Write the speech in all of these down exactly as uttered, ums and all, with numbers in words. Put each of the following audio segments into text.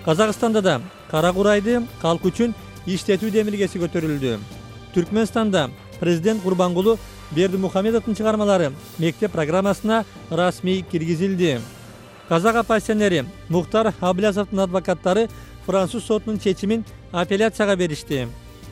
Казакстанда да кара курайды калк үчүн иштетүү демилгеси көтөрүлдү. Түркмөнстанда президент Курбангулу Бердимухамедовдун чыгармалары мектеп программасына расмий киргизилди. Казак оппозиционери Мухтар Аблязовдун адвокаттары француз сотунун чечимин апелляцияга беришти.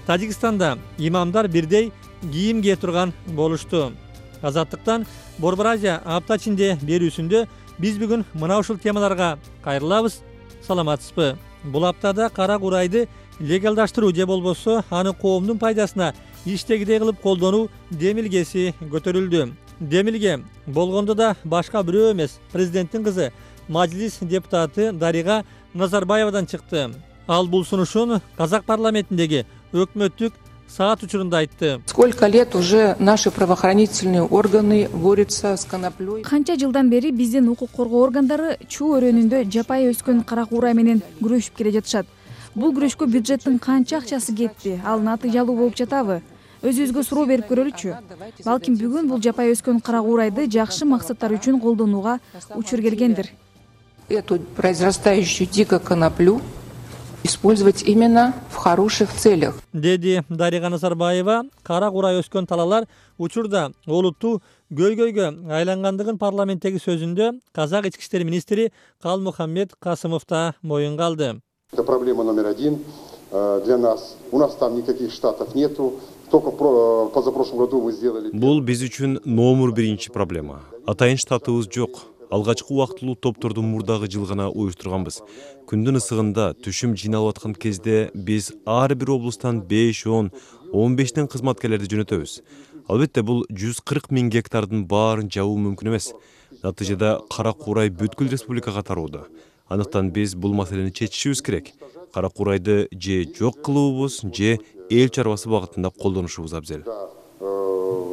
Тажикстанда имамдар бирдей кийим кие турган болушту. Азаттыктан Борбор Азия апта ичинде берүүсүндө биз бүгүн мына ушул темаларга кайрылабыз. Саламатсызбы? Бул аптада кара курайды легалдаштыруу же болбосо аны коомдун пайдасына иштегидей кылып колдонуу демилгеси көтөрүлдү. Демилге болгондо да башка бирөө эмес, президенттин кызы Мажилис депутаты Дарига Назарбаевадан чыкты. Ал бул сунушун Казак парламентиндеги өкмөттүк саат учурунда айтты. Сколько лет уже наши правоохранительные органы борются с коноплей? Канча жылдан бери биздин укук коргоо органдары чуу өрөөнүндө жапайы өскөн кара куурай менен күрөшүп келе жатышат. Бул күрөшкө бюджеттин канча акчасы кетти? Ал натыйжалуу болуп жатабы? Өзүбүзгө суроо берип көрөлүчү. Балким бүгүн бул жапайы өскөн кара куурайды жакшы максаттар үчүн колдонууга учур келгендир. Эту произрастающую дико коноплю использовать именно в хороших целях. Деди Дарига Назарбаева кара курай өскөн талалар учурда олуттуу көйгөйгө айлангандыгын парламенттеги сөзүндө Казак ички иштер министри Калмухаммед Касымов да моюнга алды. Это проблема номер один для нас. У нас там никаких штатов нету. Только позапрошлом году мы сделали. Бул биз үчүн номер биринчи проблема. Атайын штатыбыз жок. Алгачкы убактылуу топторду мурдагы жыл гана уюштурганбыз. Күндүн ысыгында түшүм жыйналып аткан кезде биз ар бир облустан беш, он, он бештен кызматкерлерди жөнөтөбүз. Албетте бул жүз кырк миң гектардын баарын жабуу мүмкүн эмес. Натыйжада кара куурай бүткүл республикага тароодо. Андыктан биз бул маселени чечишибиз керек. Кара куурайды же жок кылуубуз, же эл чарбасы багытында колдонушубуз абзел.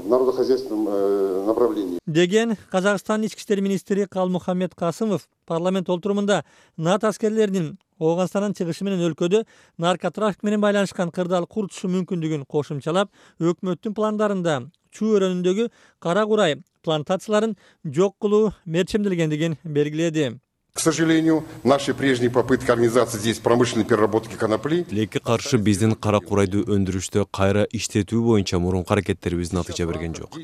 Народохозяйственном направлении. Деген Казакстан ички иштер министри Калмухаммед Касымов парламент олтурумунда НАТО аскерлеринин Ооганстандан чыгышы менен өлкөдө наркотрафик менен байланышкан кырдаал курутушу мүмкүндүгүн кошумчалап, өкмөттүн пландарында чуу өрөөнүндөгү кара курай плантацияларын жок кылуу мерчемделгендигин белгиледи. К сожалению, наши прежние попытки организации здесь промышленной переработки конопли. Лекке каршы биздин кара курайды өндүрүштө кайра иштетүү боюнча мурунку аракеттерибиз натыйжа берген жок.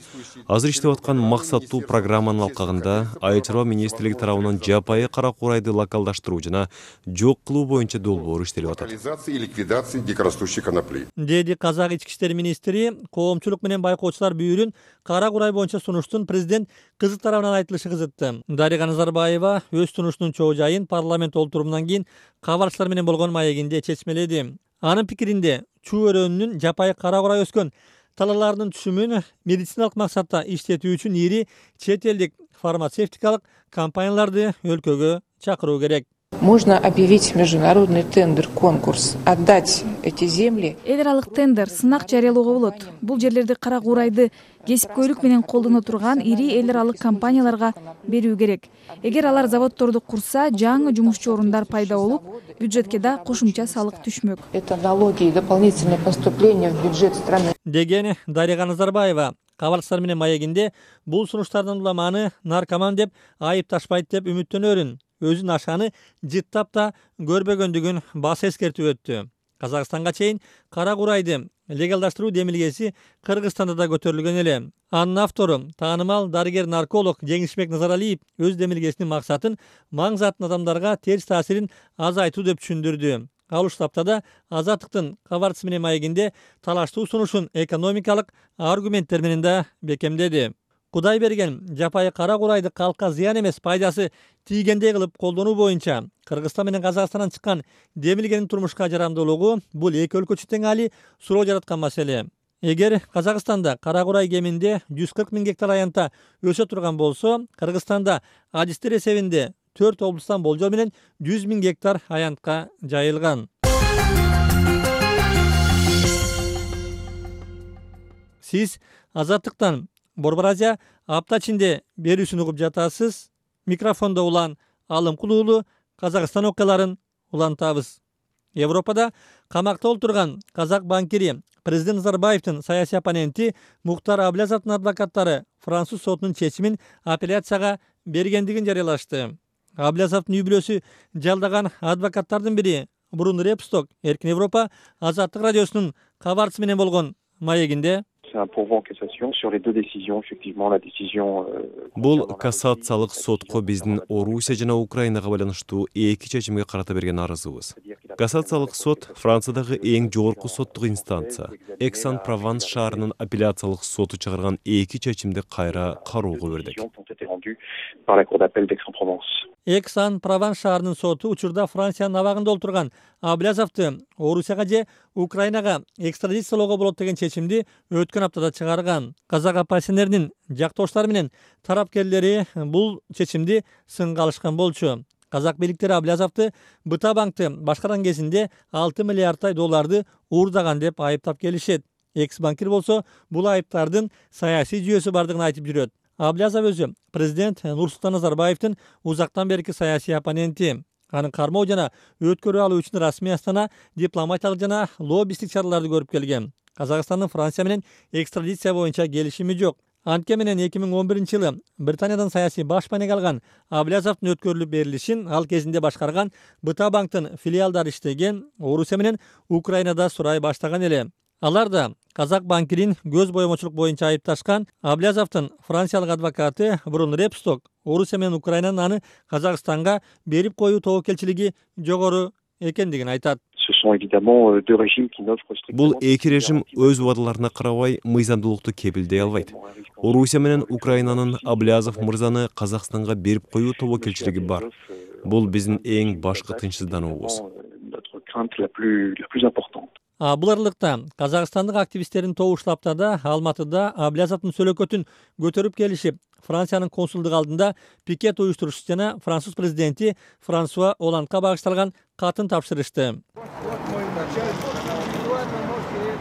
Азыр иштеп аткан максаттуу программанын алкагында Айыл чарба министрлиги тарабынан жапайы кара курайды локалдаштыруу жана жок кылуу боюнча долбоор иштелип атат. Локализация и ликвидация дикорастущей конопли. Деди Казак ички иштер министри коомчулук менен байкоочулар бүйүрүн кара курай боюнча сунуштун президент кызы тарабынан айтылышы кызытты. Дарига Назарбаева өз сунуштун чоо жайын парламент олтурумунан кийин кабарчылар менен болгон маегинде чечмеледи. Анын пикиринде чуу өрөөнүнүн жапайы кара курай өскөн талааларынын түшүмүн медициналык максатта иштетүү үчүн ири чет элдик фармацевтикалык компанияларды өлкөгө чакыруу керек. Можно объявить международный тендер, конкурс, отдать эти земли. Эл аралык тендер, сынак жарыялоого болот. Бул жерлерди кара куурайды кесипкөйлүк менен колдоно турган ири эл аралык компанияларга берүү керек. Эгер алар заводдорду курса, жаңы жумушчу орундар пайда болуп, бюджетке да кошумча салык түшмөк. Это налоги и дополнительные поступления в бюджет страны. Деген Дарига Назарбаева кабарчылар менен маегинде бул сунуштардын уламаны наркоман деп айыпташпайт деп үмүттөнөрүн. Өзүн ашаны жыттап да көрбөгөндүгүн бас эскертип өттү. Казакстанга чейин кара курайды легалдаштыруу демилгеси Кыргызстанда да көтөрүлгөн эле. Анын автору таанымал дарыгер-нарколог Жеңишбек Назаралиев өз демилгесинин максатын маң заттын адамдарга терс таасирин азайтуу деп түшүндүрдү. Ал уштапта да Азаттыктын кабарчысы менен маегинде талаштуу сунушун экономикалык аргументтер менен да бекемдеди. Кудай берген жапайы кара курайды калкка зыян эмес, пайдасы тийгендей кылып колдонуу боюнча Кыргызстан менен Казакстандан чыккан демилгенин турмушка жарамдуулугу бул эки өлкө үчүн тең али суроо жараткан маселе. Эгер Казакстанда кара курай кеминде жүз кырк миң гектар аянтта өсө турган болсо, Кыргызстанда адистер эсебинде төрт облустан болжол менен жүз миң гектар аянтка жайылган. Сиз Азаттыктан Борбор Азия апта ичинде берүүсүн угуп жатасыз. Микрофондо улан Алым Кулуулу Казакстан окуяларын улантабыз. Европада камакта олтурган казак банкири президент Назарбаевдин саясий оппоненти Мухтар Аблязовдун адвокаттары француз сотунун чечимин апелляцияга бергендигин жарыялашты. Аблязовдун үй бүлөсү жалдаган адвокаттардын бири Брун Репсток Эркин Европа Азаттык радиосунун кабарчысы менен болгон маегинде C'est un pourvoi en cassation sur les deux décisions, effectivement, la décision... Бул кассациялык сотко биздин Орусия жана Украинага байланыштуу эки чечимге карата берген арызыбыз. Кассациялык сот Франциядагы эң жогорку соттук инстанция. Эксан-Прованс шаарынын апелляциялык соту чыгарган эки чечимди кайра кароого бердик. Эксан-Прованс шаарынын соту учурда Франциянын абагында отурган Аблязовду Орусияга же Украинага экстрадициялоого болот деген чечимди өткөн аптада чыгарган. Казак оппозиционеринин жактоштары менен тарапкерлери бул чечимди сынга алышкан болчу. Казак бийликтери Аблязовду Быта банкты башкарган кезинде алты миллиардтай долларды уурдаган деп айыптап келишет. Экс-банкир болсо бул айыптардын саясий жүйөсү бардыгын айтып жүрөт. Аблязов өзү президент Нурсултан Назарбаевдин узактан берки саясий оппоненти. Анын кармоо жана өткөрүп алуу үчүн расмий Астана дипломатиялык жана лоббисттик чараларды көрүп келген. Казакстандын Франция менен экстрадиция боюнча келишими жок. Анткени менен эки миң он биринчи жылы Британиядан саясий баш маанеге алган Аблязовдун өткөрүлүп берилишин ал кезинде башкарган Быта банктын филиалдары иштеген Орусия менен Украинада сурай баштаган эле. Алар да казак банкирин көз боемочулук боюнча айыпташкан. Аблязовдун франциялык адвокаты Брун Репсток Орусия менен Украинанын аны Казакстанга берип коюу тобокелчилиги жогору экендигин айтат. Бул эки режим өз убадаларына карабай мыйзамдуулукту кепилдей албайт. Орусия менен Украинанын Аблязов мырзаны Казакстанга берип коюу тобокелчилиги бар. Бул биздин эң башкы тынчсыздануубуз. А бул аралыкта казакстандык активисттердин тобу штабтада Алматыда Аблязовдун сөөлөкөтүн көтөрүп келишип, Франциянын консулдугу алдында пикет уюштурушчу жана француз президенти Франсуа Оландга багышталган катын тапшырышты.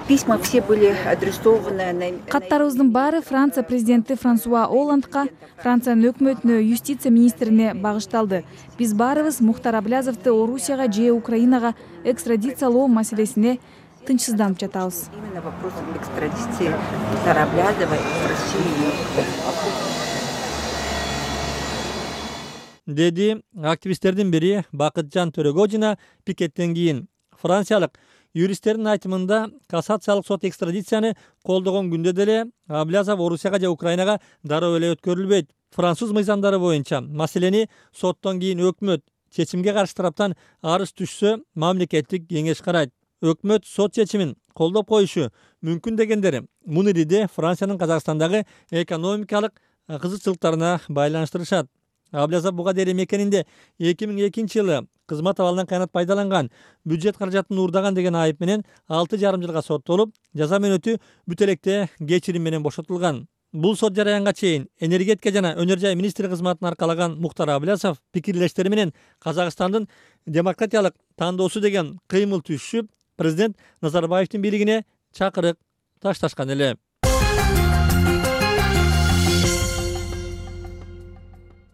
Письма все были адресованы. Каттарыбыздын баары Франция президенти Франсуа Оландга, Франциянын өкмөтүнө, юстиция министрине багышталды. Биз баарыбыз Мухтар Аблязовду Орусияга же Украинага экстрадициялоо маселесине тынчсызданып жатабыз. Именно вопрос экстрадиции Мухтара Аблязова в Россию. Деди активисттердин бири Бакытжан Төрөгожина пикеттен кийин. Франциялык юристтердин айтымында кассациялык сот экстрадицияны колдогон күндө деле Аблязов Орусияга же Украинага дароо эле өткөрүлбөйт. Француз мыйзамдары боюнча маселени соттон кийин өкмөт, чечимге каршы тараптан арыз түшсө мамлекеттик кеңеш карайт. Өкмөт сот чечимин колдоп коюшу мүмкүн дегендери мунириде Франциянын Казакстандагы экономикалык кызыкчылыктарына байланыштырышат. Аблязов буга дейин мекенинде эки миң экинчи жылы кызмат абалынан кыянат пайдаланган, бюджет каражатын уурдаган деген айып менен алты жарым жылга соттолуп, жаза мөөнөтү бүт электе кечирим менен бошотулган. Бул сот жараянга чейин энергетика жана өнөр жай министри кызматын аркалаган Мухтар Аблязов пикирлештери менен Казакстандын демократиялык тандоосу деген кыймыл түшүп, президент Назарбаевдин бийлигине чакырык ташташкан эле.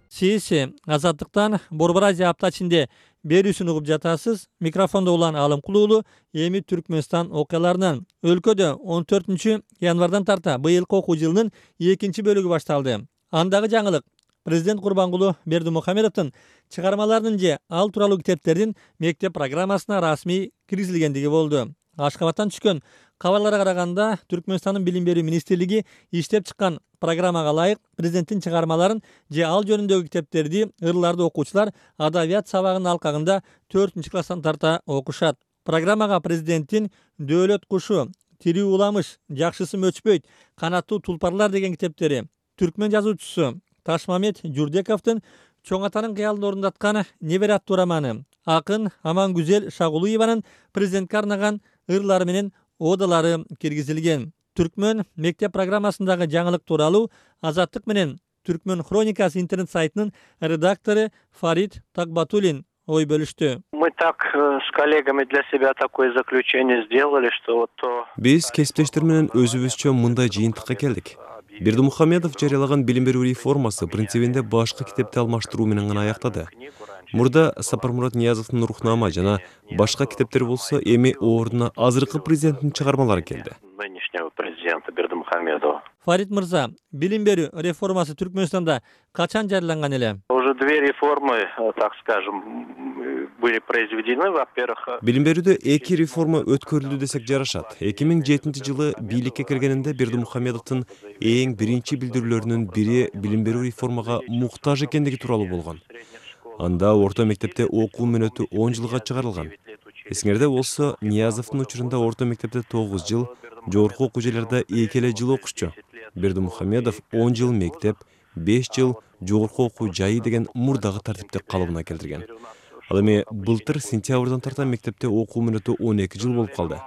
Сиз Азаттыктан Борбор Азия апта ичинде берүүсүн угуп жатасыз. Микрофондо улан Алым Кулуулу, эми Түркмөнстан окуяларынан. Өлкөдө он төртүнчү январдан тарта быйылкы окуу жылынын экинчи бөлүгү башталды. Андагы жаңылык президент Курбангулу Бердимухамедовдун чыгармаларынын же ал тууралуу китептердин мектеп программасына расмий киргизилгендиги болду. Ашкабадтан түшкөн кабарларга караганда Түркмөнстандын билим берүү министрлиги иштеп чыккан программага ылайык президенттин чыгармаларын же ал жөнүндөгү китептерди ырларды окуучулар адабият сабагынын алкагында төртүнчү класстан тарта окушат. Программага президенттин Дөөлөт кушу, Тирүү уламыш, Жакшысы мөчпөйт, Канаттуу тулпарлар деген китептери, түркмөн жазуучусу Ташмамет Журдековдун чоң атанын кыялын орундаткан Небере аттуу романы, акын Амангүзел Шагулуеванын президентке арнаган ырлары менен одалары киргизилген. Түркмөн мектеп программасындагы жаңылык тууралуу Азаттык менен Түркмөн хроникасы интернет сайтынын редактору Фарид Такбатулин ой бөлүштү. Мы так с коллегами для себя такое заключение сделали, что вот то... Биз кесиптештер менен өзүбүзчө мындай жыйынтыкка келдик. Бердимухамедов жарыялаган билим берүү реформасы принцибинде башкы китепти алмаштыруу менен гана аяктады. Мурда Сапармурат Ниязовдун Рухнама жана башка китептер болсо эми ордуна азыркы президенттин чыгармалары келди. Нынешнего президента Бердимухамедова. Фарид мырза, билим берүү реформасы Түркмөнстанда качан жарыяланган эле? Уже же две реформы, так скажем, были произведены. Во-первых, билим берүүдө эки реформа өткөрүлдү десек жарашат. эки миң жетинчи жылы бийликке киргенинде Бердимухамедовдун эң биринчи билдирүүлөрүнүн бири билим берүү реформага муктаж экендиги тууралуу болгон. Анда орто мектепте окуу мөөнөтү он жылга чыгарылган. Эсиңерде болсо, Ниязовдун учурунда орто мектепте тогуз жыл, жогорку окуу жайларда эки эле жыл окушчу. Бердимухамедов он жыл мектеп, беш жыл жогорку окуу жайы деген мурдагы тартипти калыбына келтирген. Ал эми былтыр сентябрдан тарта мектепте окуу мөөнөтү он эки жыл болуп калды.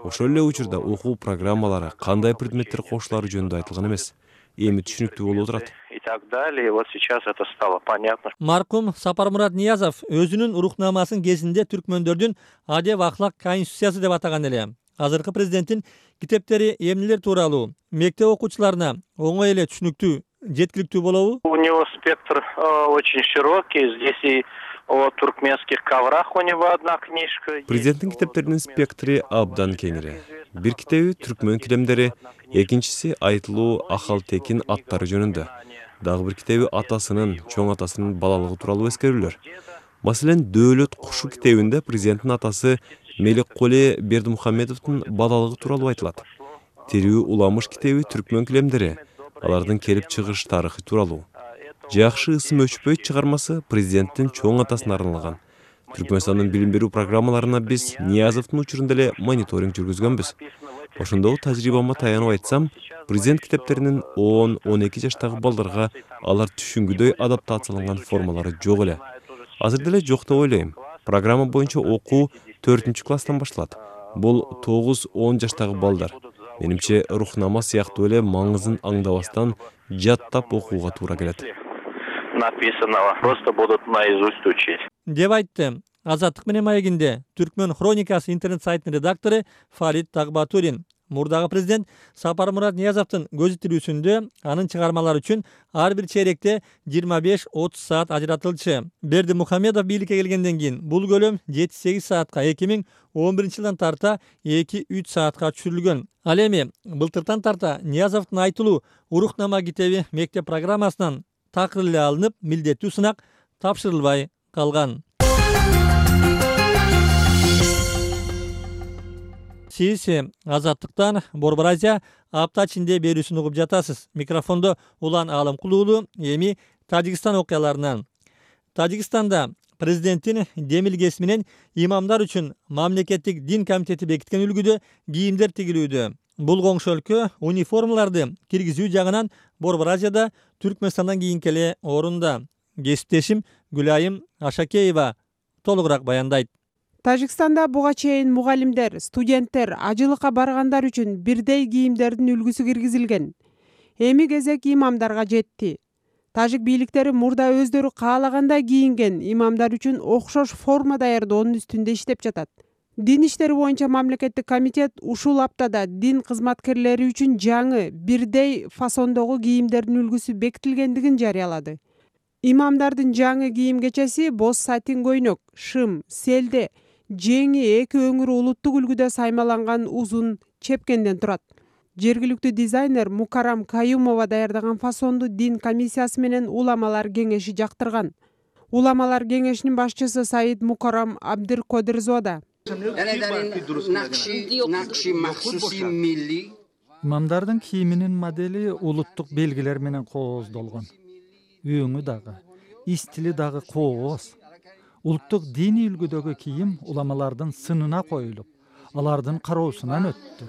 Ошол эле учурда окуу программалары, кандай предметтер кошулары жөнүндө айтылган эмес. Эми түшүнүктүү болуп отурат. И так далее. Вот сейчас это стало понятно. Маркум Сапармурат Ниязов өзүнүн урухнамасын кезинде түркмөндөрдүн адеп ахлак конституциясы деп атаган эле. Азыркы президенттин китептери эмнелер тууралуу мектеп окуучуларына оңой эле түшүнүктүү, жеткиликтүү болобу? У него спектр э, очень широкий. Здесь и о туркменских коврах у него одна книжка. Президенттин китептеринин спектри абдан кеңири. Бир китеби түркмөн килемдери, экинчиси айтылуу Ахал Текин аттары жөнүндө. Дагы бир китеби атасынын, чоң атасынын балалыгы тууралуу эскерүүлөр. Маселен, Дөөлөт кушу китебинде президенттин атасы Мелекколи Бердимухамедовдун балалыгы тууралуу айтылат. Тирүү Уламыш китеби түркмөн килемдери, алардын келип чыгыш тарыхы тууралуу. Жакшы ысым өчпөйт чыгармасы президенттин чоң атасына арналган. Түркмөнстандын билим берүү программаларына биз Ниязовдун учурунда эле мониторинг жүргүзгөнбүз. Ошондогу тажрыйбама таянып айтсам, президент китептеринин он он эки жаштагы балдарга алар түшүнгүдөй адаптацияланган формалары жок эле. Азыр деле жок деп ойлойм. Программа боюнча окуу төртүнчү класстан башталат. Бул тогуз он жаштагы балдар. Менимче рухнама сыяктуу эле маңызын аңдабастан жаттап окууга туура келет. Написанного просто будут наизусть учить. Деп айтты Азаттык менен маегинде Түркмөн хроникасы интернет сайтынын редактору Фарид Тагбатурин. Мурдагы президент Сапармурат Ниязовдун көзү тирүүсүндө анын чыгармалары үчүн ар бир чейректе жыйырма беш отуз саат ажыратылчу. Бердимухамедов бийликке келгенден кийин бул көлөм жети сегиз саатка, эки миң он биринчи жылдан тарта эки үч саатка түшүрүлгөн. Ал эми былтыртан тарта Ниязовдун айтылуу урухнама китеби мектеп программасынан такыр эле алынып, милдеттүү сынак тапшырылбай калган. Сиз Азаттыктан Борбор Азия апта ичинде берүүсүн угуп жатасыз. Микрофондо Улан Алымкулуулу. Эми Тажикстан окуяларынан. Тажикстанда президенттин демилгеси менен имамдар үчүн мамлекеттик дин комитети бекиткен үлгүдө кийимдер тигилүүдө. Бул коңшу өлкө униформаларды киргизүү жагынан Борбор Азияда Түркмөнстандан кийинки эле орунда. Кесиптешим Гүлайым Ашакеева толугураак баяндайт. Тажикстанда буга чейин мугалимдер, студенттер, ажылыкка баргандар үчүн бирдей кийимдердин үлгүсү киргизилген. Эми кезек имамдарга жетти. Тажик бийликтери мурда өздөрү каалагандай кийинген имамдар үчүн окшош форма даярдоонун үстүндө иштеп жатат. Дин иштери боюнча мамлекеттик комитет ушул аптада дин кызматкерлери үчүн жаңы бирдей фасондогу кийимдердин үлгүсү бекитилгендигин жарыялады. Имамдардын жаңы кийим кечеси боз сатин көйнөк, шым, селде, жеңи эки өңүрү улуттук үлгүдө саймаланган узун чепкенден турат. Жергиликтүү дизайнер Мукарам Каюмова даярдаган фасонду дин комиссиясы менен уламалар кеңеши жактырган. Уламалар кеңешинин башчысы Саид Мукарам Абдиркодирзода. Имамдардын кийиминин модели улуттук белгилер менен кооздолгон. Өңү дагы, стили дагы кооз. Улуттук диний үлгүдөгү кийим уламалардын сынына коюлуп, алардын кароосунан өттү.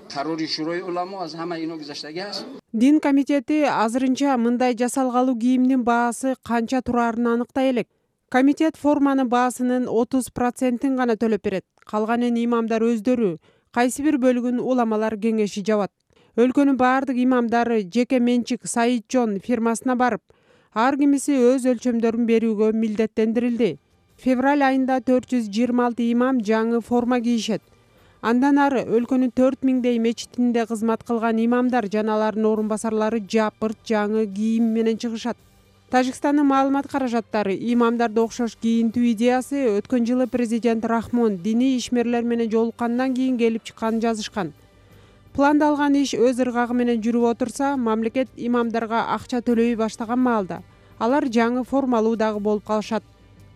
Дин комитети азырынча мындай жасалгалуу кийимдин баасы канча турарын аныктай элек. Комитет форманын баасынын отуз процентин гана төлөп берет. Калганын имамдар өздөрү, кайсы бир бөлүгүн уламалар кеңеши жабат. Өлкөнүн баардык имамдары жеке менчик Саид Жон фирмасына барып, ар кимиси өз өлчөмдөрүн берүүгө милдеттендирилди. Февраль айында төрт жүз жыйырма алты имам жаңы форма кийишет. Андан ары өлкөнүн төрт миңдей мечитинде кызмат кылган имамдар жана алардын орун басарлары жапырт жаңы кийим менен чыгышат. Тажикстандын маалымат каражаттары имамдарды окшош кийинтүү идеясы өткөн жылы президент Рахмон диний ишмерлер менен жолуккандан кийин келип чыкканын жазышкан. Пландалган иш өз ыргагы менен жүрүп отурса, мамлекет имамдарга акча төлөй баштаган маалда алар жаңы формалуу дагы болуп калышат.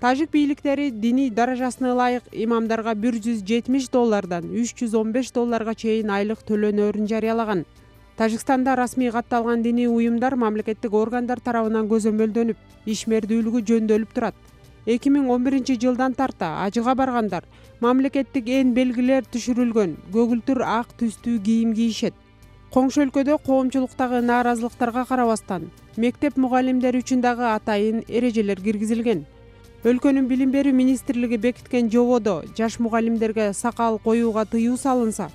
Тажик бийликтери диний даражасына ылайык имамдарга бир жүз жетимиш доллардан үч жүз он беш долларга чейин айлык төлөнөөрүн жарыялаган. Тажикстанда расмий катталган диний уюмдар мамлекеттик органдар тарабынан көзөмөлдөнүп, ишмердүүлүгү жөндөөлүп турат. эки миң он биринчи жылдан тарта ажыга баргандар мамлекеттик эн белгилер түшүрүлгөн көгүлтүр ак түстүү кийим кийишет. Коңшу өлкөдө коомчулуктагы нааразылыктарга карабастан мектеп мугалимдери үчүн дагы атайын эрежелер киргизилген. Өлкөнүн билим берүү министрлиги бекиткен жободо жаш мугалимдерге сакал коюуга тыюу салынса,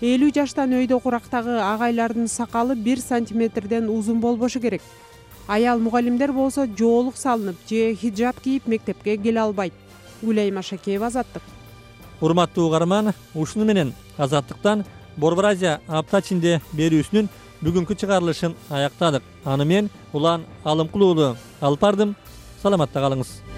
элүү жаштан өйдө курактагы агайлардын сакалы бир сантиметрден узун болбошу керек. Аял мугалимдер болсо жоолук салынып же хиджаб кийип мектепке келе албайт. Гүлайма Шакеева, Азаттык. Урматтуу угарман, ушуну менен Азаттыктан Борбор Азия апта ичинде берүүсүнүн бүгүнкү чыгарылышын аяктадык. Аны мен Улан Алымкулуулу алып бардым. Саламатта калыңыз.